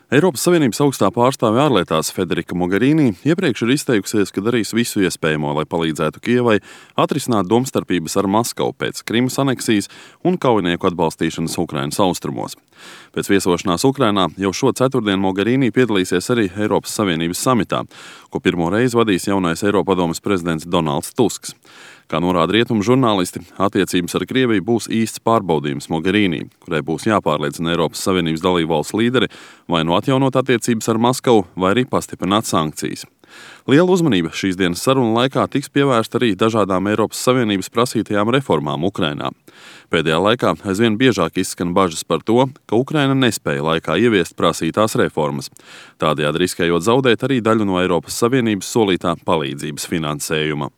Eiropas Savienības augstā pārstāve ārlietās Federika Mogherini iepriekš ir izteikusies, ka darīs visu iespējamo, lai palīdzētu Kijevai atrisināt domstarpības ar Maskavu pēc Krimas aneksijas un kaujinieku atbalstīšanas Ukrainas austrumos. Pēc viesošanās Ukrainā jau šo ceturtdienu Mogherini piedalīsies arī Eiropas Savienības samitā, ko pirmo reizi vadīs jaunais Eiropadomes prezidents Donalds Tusks. Kā norāda rietumu žurnālisti, attiecības ar Krieviju būs īsts pārbaudījums Mogherini, kurai būs jāpārliecina Eiropas Savienības dalībvalstu līderi vai nu atjaunot attiecības ar Maskavu, vai arī pastiprināt sankcijas. Liela uzmanība šīs dienas sarunu laikā tiks pievērsta arī dažādām Eiropas Savienības prasītajām reformām Ukrainā. Pēdējā laikā aizvien biežāk izskan bažas par to, ka Ukraina nespēja laikā ieviest prasītās reformas, tādējādi riskējot zaudēt arī daļu no Eiropas Savienības solītā palīdzības finansējuma.